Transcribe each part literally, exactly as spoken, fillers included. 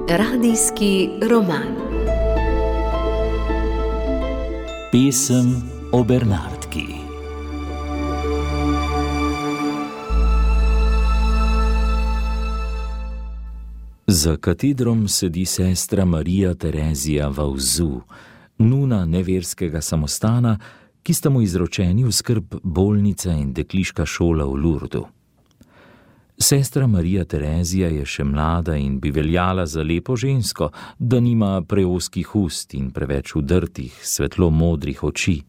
Radijski roman. Pesem o Bernardki. Za katedrom sedi sestra Marija Terezija Vauzu, nuna neverskega samostana, ki sta mu izročeni v skrb bolnica in dekliška šola v Lurdu. Sestra Marija Terezija je še mlada in bi veljala za lepo žensko, da nima preozkih ust in preveč udrtih, svetlo modrih oči.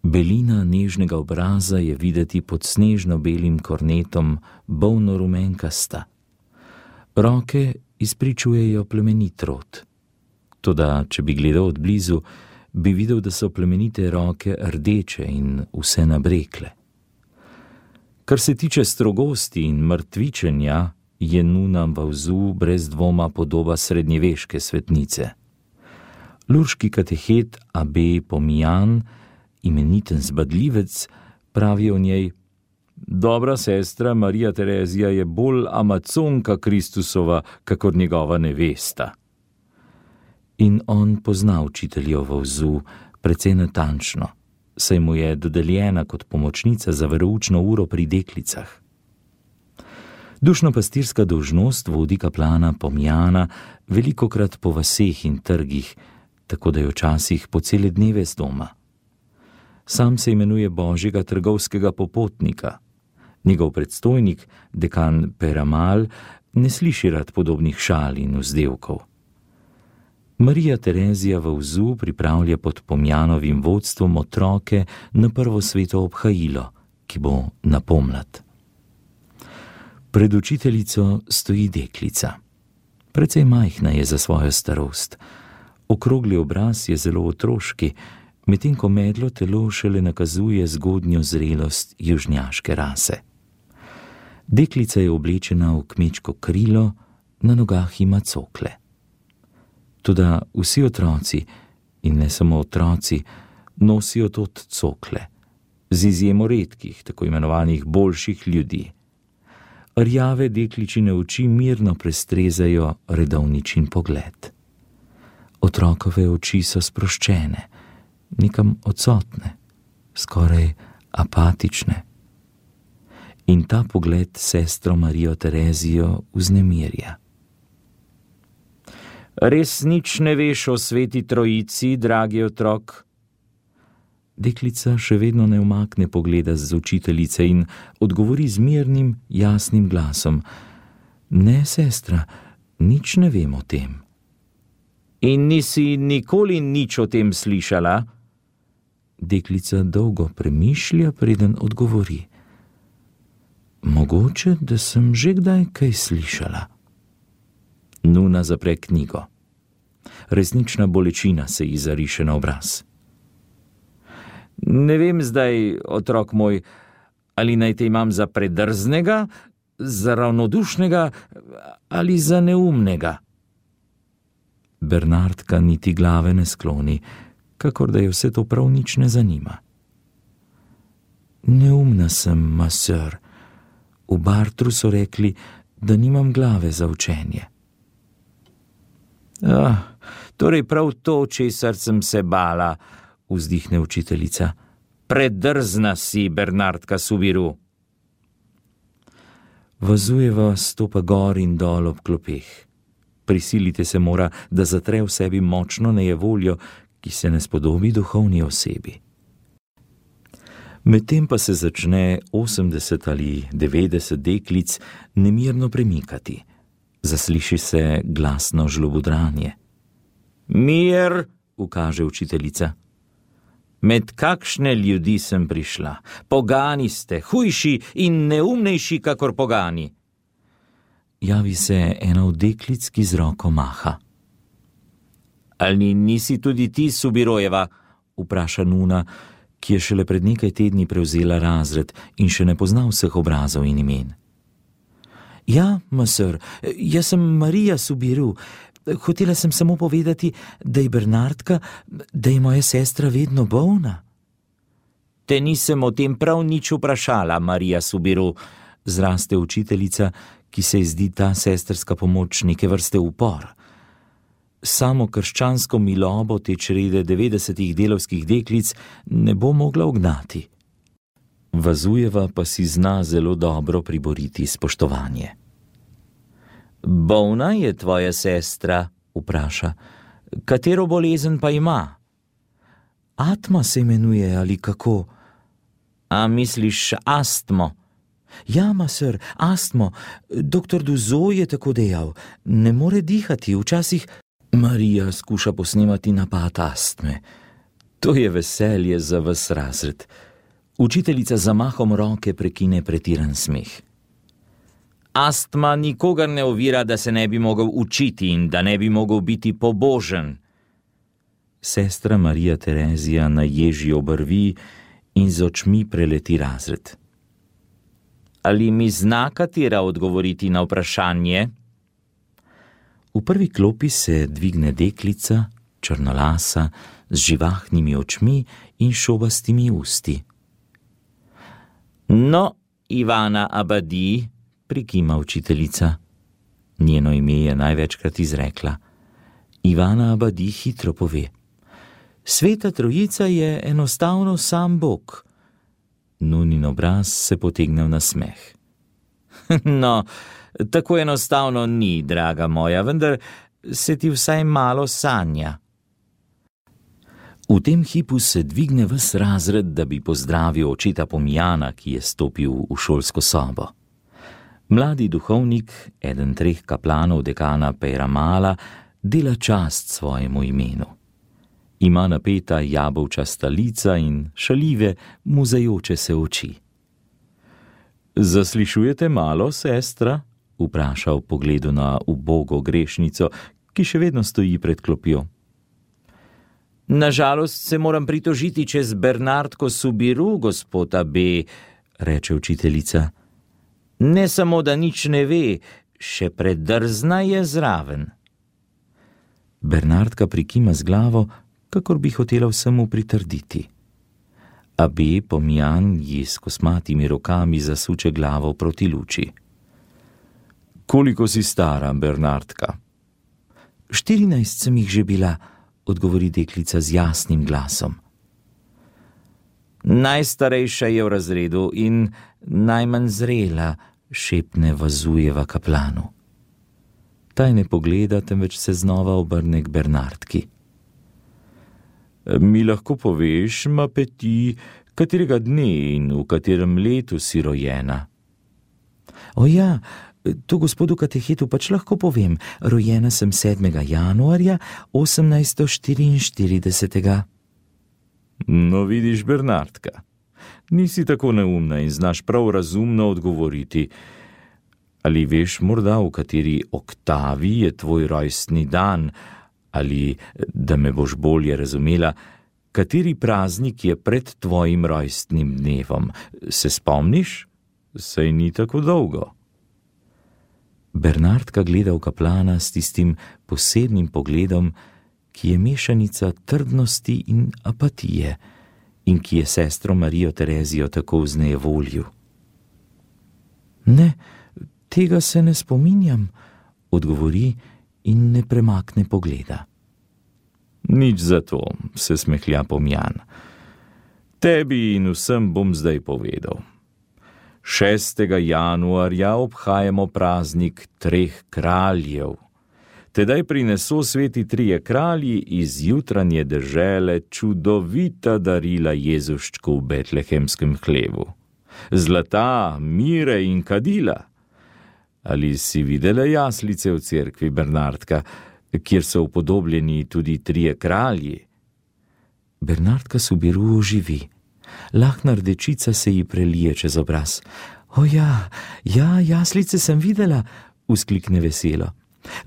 Belina nežnega obraza je videti pod snežno belim kornetom bolno rumenkasta. Roke izpričujejo plemenit rod. Toda, če bi gledal od blizu, bi videl, da so plemenite roke rdeče in vse nabrekle. Kar se tiče strogosti in mrtvičenja, je nuna Vauzu brez dvoma podoba srednjeveške svetnice. Lurški katehet abe Pomijan, imeniten zbadljivec, pravi o njej: dobra sestra Marija Terezija je bolj Amazonka Kristusova, kakor njegova nevesta. In on pozna učiteljo Vauzu precej natančno, saj mu je dodeljena kot pomočnica za veroučno uro pri deklicah. Dušno-pastirska dolžnost vodi kaplana Pomijana velikokrat po vaseh in trgih, tako da je včasih po cele dneve z doma. Sam se imenuje Božjega trgovskega popotnika. Njegov predstojnik, dekan Peramal, ne sliši rad podobnih šal in vzdevkov. Marija Terezija Vauzu pripravlja pod Pomjanovim vodstvom otroke na prvo sveto obhajilo, ki bo na pomlad. Pred učiteljico stoji deklica. Precej majhna je za svojo starost. Okrogli obraz je zelo otroški, medtem ko medlo telo šele nakazuje zgodnjo zrelost južnjaške rase. Deklica je oblečena v kmečko krilo, na nogah ima cokle. Toda vsi otroci, in ne samo otroci, nosijo tot cokle, z izjemo redkih, tako imenovanih boljših ljudi. Rjave dekličine oči mirno prestrezajo redovničin pogled. Otrokove oči so sproščene, nekam odsotne, skoraj apatične. In ta pogled sestro Marijo Terezijo vznemirja. Res nič ne veš o sveti trojici, dragi otrok? Deklica še vedno ne umakne pogleda z učiteljice in odgovori z mirnim, jasnim glasom: ne, sestra, nič ne vem o tem. In nisi nikoli nič o tem slišala? Deklica dolgo premišlja, preden odgovori: mogoče, da sem že kdaj kaj slišala. Nuna zapre knjigo. Resnična bolečina se ji zariše na obraz. Ne vem zdaj, otrok moj, ali naj te imam za predrznega, za ravnodušnega ali za neumnega. Bernardka niti glave ne skloni, kakor da je vse to prav nič ne zanima. Neumna sem, ma sir. V Bartru so rekli, da nimam glave za učenje. Ah, torej prav to, česar sem se bala, vzdihne učiteljica. Predrzna si, Bernardka Subiru. Vazujeva stopa gor in dol ob klopeh. Prisilite se mora, da zatre v sebi močno nejevoljo, ki se ne spodobi duhovni osebi. Medtem pa se začne osemdeset ali devetdeset deklic nemirno premikati. Zasliši se glasno žlobudranje. Mir, ukaže učiteljica. Med kakšne ljudi sem prišla? Pogani ste, hujši in neumnejši kakor pogani. Javi se ena od deklic, ki z roko maha. Ali nisi tudi ti Subirojeva? Vpraša nuna, ki je šele pred nekaj tedni prevzela razred in še ne pozna vseh obrazov in imen. Ja, masr, jaz sem Marija Subiru. Hotela sem samo povedati, da je Bernardka, da je moja sestra vedno bolna. Te nisem o tem prav nič vprašala, Marija Subiru, zraste učiteljica, ki se ji zdi ta sestrska pomoč neke vrste upor. Samo krščansko milobo te črede devetdesetih delavskih deklic ne bo mogla ugnati. Vazujeva pa si zna zelo dobro priboriti spoštovanje. Bolna je tvoja sestra, vpraša. Katero bolezen pa ima? Atma se imenuje ali kako? A misliš astmo? Ja, maser, astmo. Doktor Duzo je tako dejal. Ne more dihati, včasih... Marija skuša posnemati napad astme. To je veselje za ves razred. Učiteljica z zamahom roke prekine pretiran smeh. Astma nikogar ne ovira, da se ne bi mogel učiti in da ne bi mogel biti pobožen. Sestra Marija Terezija naježi obrvi in z očmi preleti razred. Ali mi zna katera odgovoriti na vprašanje? V prvi klopi se dvigne deklica, črnolasa, z živahnimi očmi in šobastimi usti. No, Ivana Abadi, prikima učiteljica. Njeno ime je največkrat izrekla. Ivana Abadi hitro pove. Sveta trojica je enostavno sam Bog. Nunin obraz se potegne v nasmeh. No, tako enostavno ni, draga moja, vendar se ti vsaj malo sanja. V tem hipu se dvigne ves razred, da bi pozdravil očeta Pomijana, ki je stopil v šolsko sobo. Mladi duhovnik, eden treh kaplanov dekana Pejramala, dela čast svojemu imenu. Ima napeta jabolčasta lica in šaljive, muzajoče se oči. Zaslišujete malo, sestra? Vpraša v pogledu na ubogo grešnico, ki še vedno stoji pred klopjo. Nažalost se moram pritožiti čez Bernardko Subiru, gospod A B, reče učiteljica. Ne samo, da nič ne ve, še predrzna je zraven. Bernardka prikima z glavo, kakor bi hotela vsemu pritrditi. A B Pomijan ji s kosmatimi rokami zasuče glavo proti luči. Koliko si stara, Bernardka? Štirinajst sem jih že bila, odgovori deklica z jasnim glasom. Najstarejša je v razredu in najmanj zrela, šepne Vazujeva kaplanu. taj ne pogleda, temveč se znova obrne k Bernardki. Mi lahko poveš, Mapeti, katerega dne in v katerem letu si rojena? O ja, to gospodu katehetu pač lahko povem. Rojena sem sedmega januarja osemnajststo štiriinštiridesetega. No vidiš, Bernardka, nisi tako neumna in znaš prav razumno odgovoriti. Ali veš morda, v kateri oktavi je tvoj rojstni dan, ali, da me boš bolje razumela, kateri praznik je pred tvojim rojstnim dnevom? Se spomniš? Saj ni tako dolgo. Bernardka gleda v kaplana s tistim posebnim pogledom, ki je mešanica trdnosti in apatije in ki je sestro Marijo Terezijo tako vznejevoljil. Ne, tega se ne spominjam, odgovori in ne premakne pogleda. Nič zato, se smehlja Pomjan. Tebi in vsem bom zdaj povedal. šestega januarja obhajamo praznik treh kraljev. Tedaj prineso sveti trije kralji iz jutranje dežele čudovita darila Jezuščku v betlehemskem hlevu. Zlata, mire in kadila. Ali si videla jaslice v cerkvi, Bernardka, kjer so upodobljeni tudi trije kralji? Bernardka Subiru oživi. Lahna rdečica se ji prelije čez obraz. O ja, ja, jaslice sem videla, vzklikne veselo.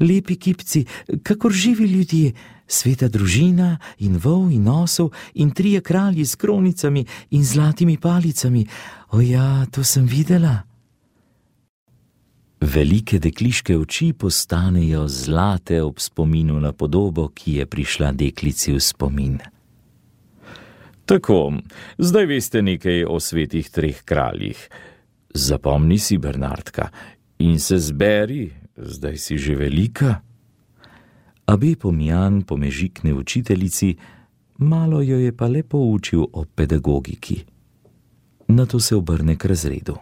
Lepi kipci, kakor živi ljudje, sveta družina in vol in osel in trije kralji s kronicami in zlatimi palicami. O ja, to sem videla. Velike dekliške oči postanejo zlate ob spominu na podobo, ki je prišla deklici v spomin. Tako, zdaj veste nekaj o svetih treh kraljih. Zapomni si, Bernardka, in se zberi, zdaj si že velika. Abe Pomjan pomežikne učiteljici, malo jo je pa le poučil o pedagogiki. Nato se obrne k razredu.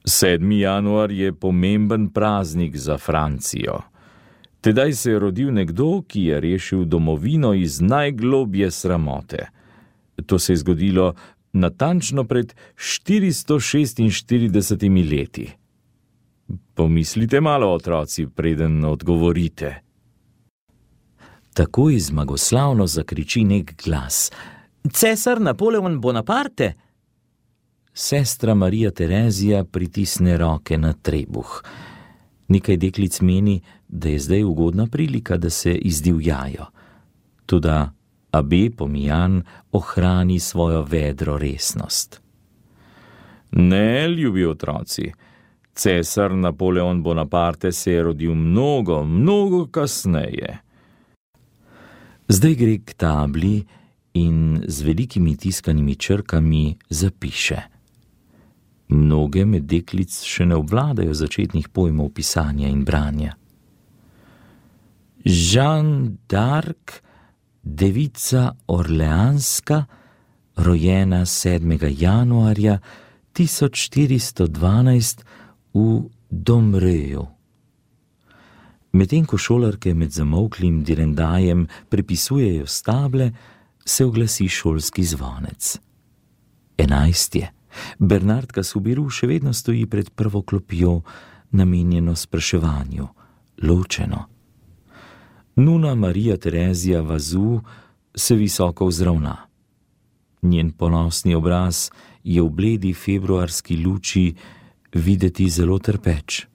sedmi januar je pomemben praznik za Francijo. Tedaj se je rodil nekdo, ki je rešil domovino iz najglobje sramote. To se je zgodilo natančno pred štiristo šestinštiridesetimi leti. Pomislite malo, otroci, preden odgovorite. Takoj zmagoslavno zakriči nek glas. Cesar Napoleon Bonaparte! Sestra Marija Terezija pritisne roke na trebuh. Nekaj deklic meni, da je zdaj ugodna prilika, da se izdivjajo. Toda Abe Pomjan ohrani svojo vedro resnost. Ne, ljubi otroci, cesar Napoleon Bonaparte se je rodil mnogo, mnogo kasneje. Zdaj gre k tabli in z velikimi tiskanimi črkami zapiše. Mnoge med deklic še ne obvladajo začetnih pojmov pisanja in branja. Jeanne d'Arc, devica orleanska, rojena sedmega januarja tisoč štiristo dvanajst v Domreju. Medtem ko šolarke med zamolklim direndajem prepisujejo stable, se oglasi šolski zvonec. Enajst je. Bernardka Subiru še vedno stoji pred prvo klopjo, namenjeno spraševanju, ločeno. Nuna Marija Terezija Vazu se visoko vzravna. Njen ponosni obraz je v bledi februarski luči videti zelo trpeč.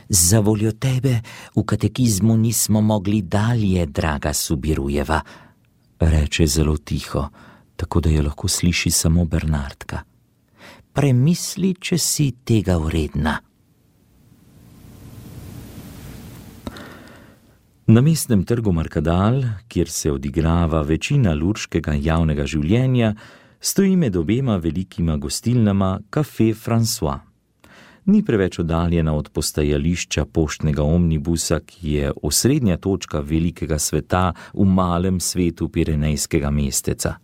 Za voljo tebe v katekizmu nismo mogli dalje, draga Subirujeva, reče zelo tiho, tako da jo lahko sliši samo Bernardka. Premisli, če si tega vredna. Na mestnem trgu Markadal, kjer se odigrava večina lurškega javnega življenja, stoji med obema velikima gostilnama Café François. Ni preveč oddaljena od postajališča poštnega omnibusa, ki je osrednja točka velikega sveta v malem svetu pirenejskega mesteca.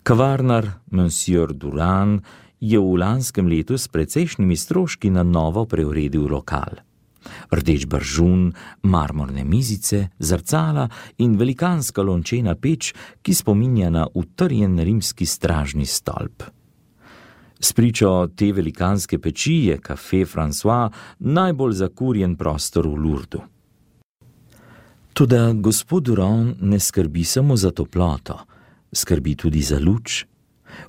Kavarnar Monsieur Durand je v lanskem letu s precejšnjimi stroški na novo preuredil lokal. Rdeč bržun, marmorne mizice, zrcala in velikanska lončena peč, ki spominja na utrjen rimski stražni stolp. Spričo te velikanske peči je Café François najbolj zakurjen prostor v Lurdu. Toda gospod Durand ne skrbi samo za toploto, skrbi tudi za luč.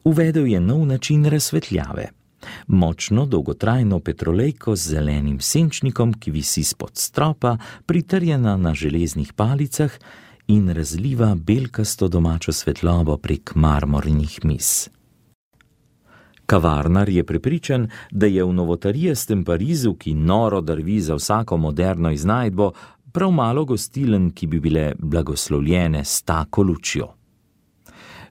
Uvedel je nov način razsvetljave. Močno dolgotrajno petrolejko z zelenim senčnikom, ki visi spod stropa, pritrjena na železnih palicah in razliva belkasto domačo svetlobo prek marmornih miz. Kavarnar je prepričan, da je v novotarijestem Parizu, ki noro drvi za vsako moderno iznajdbo, prav malo gostilen, ki bi bile blagoslovljene s tako lučjo.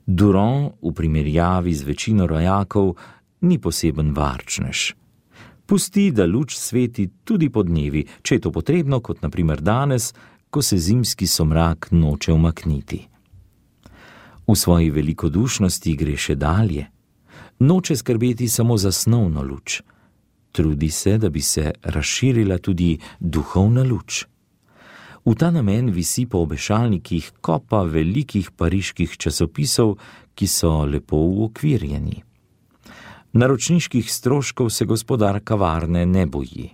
Durand v primerjavi z večino rojakov ni poseben varčnež. Pusti, da luč sveti tudi po dnevi, če je to potrebno, kot na primer danes, ko se zimski somrak noče umakniti. V svoji velikodušnosti gre še dalje. Noče skrbeti samo za snovno luč. Trudi se, da bi se razširila tudi duhovna luč. V ta namen visi po obešalnikih kopa velikih pariških časopisov, ki so lepo uokvirjeni. Naročniških stroškov se gospodar kavarne ne boji.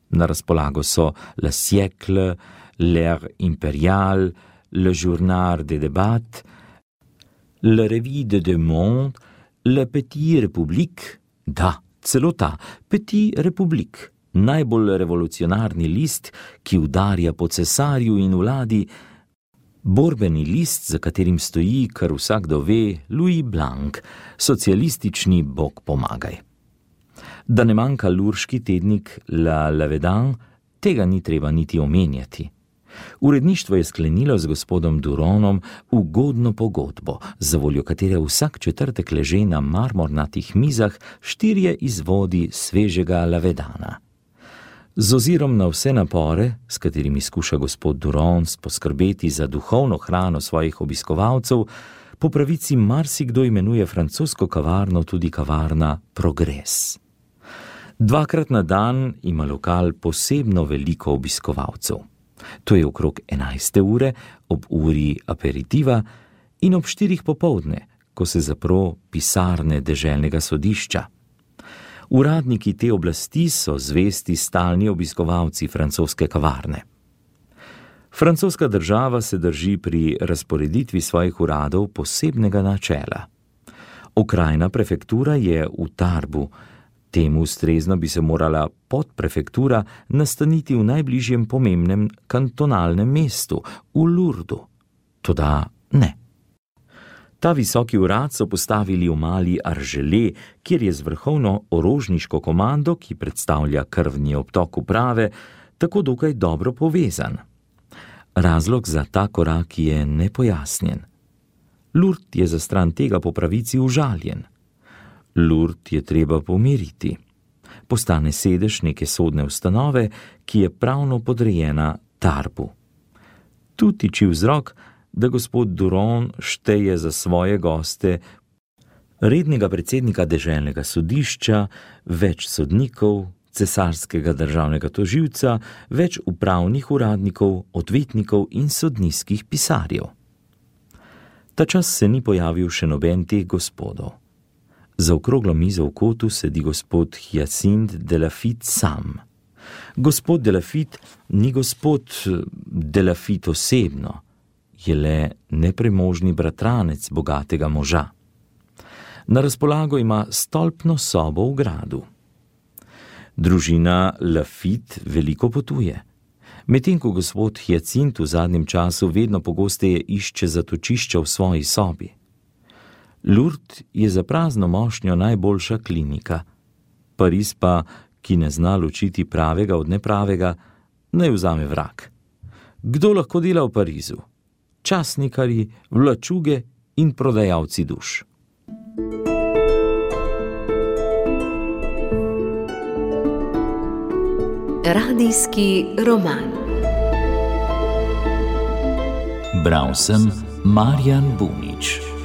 Na razpolago so Le Siècle, L'Air Impérial, Le Journal des Débats, Le Revue de Deux Mondes, Le Petit République, da, celo ta, Petit République, najbolj revolucionarni list, ki udarja po cesarju in vladi, borbeni list, za katerim stoji, kar vsakdo ve, Louis Blanc, socialistični bog pomagaj. Da ne manjka lurški tednik La Lavedan, tega ni treba niti omenjati. Uredništvo je sklenilo z gospodom Duronom ugodno pogodbo, za voljo katere vsak četrtek leže na marmornatih mizah štirje izvodi svežega lavedana. Z ozirom na vse napore, s katerimi skuša gospod Duron poskrbeti za duhovno hrano svojih obiskovalcev, po pravici marsikdo imenuje francosko kavarno tudi kavarna Progres. Dvakrat na dan ima lokal posebno veliko obiskovalcev. To je okrog enajste ure, ob uri aperitiva in ob štirih popoldne, ko se zapro pisarne deželnega sodišča. Uradniki te oblasti so zvesti stalni obiskovalci francoske kavarne. Francoska država se drži pri razporeditvi svojih uradov posebnega načela. Okrajna prefektura je v Tarbu, temu ustrezno bi se morala podprefektura nastaniti v najbližjem pomembnem kantonalnem mestu, v Lourdu. Toda ne. Ta visoki urad so postavili v mali Argelé, kjer je z vrhovno orožniško komando, ki predstavlja krvni obtok uprave, tako dokaj dobro povezan. Razlog za ta korak je nepojasnjen. Lourd je za stran tega po pravici užaljen. Lourd je treba pomiriti. Postane sedež neke sodne ustanove, ki je pravno podrejena Tarbu. Tu tiči vzrok, da gospod Duron šteje za svoje goste rednega predsednika deželnega sodišča, več sodnikov, cesarskega državnega tožilca, več upravnih uradnikov, odvetnikov in sodniških pisarjev. Ta čas se ni pojavil še noben teh gospodov. Za okroglo mizo v kotu sedi gospod Hyacinthe de Laffitte sam. Gospod de Laffitte ni gospod de Laffitte osebno, je le nepremožni bratranec bogatega moža. Na razpolago ima stolpno sobo v gradu. Družina Laffitte veliko potuje. Medtem ko gospod Hyacinthe v zadnjem času vedno pogosteje išče zatočišča v svoji sobi. Lourdes je za prazno mošnjo najboljša klinika. Pariz pa, ki ne zna ločiti pravega od nepravega, naj vzame vrak. Kdo lahko dela v Parizu? Časnikarji, vlačuge in prodajalci duš. Radijski roman. Bral sem Marjan Bunič.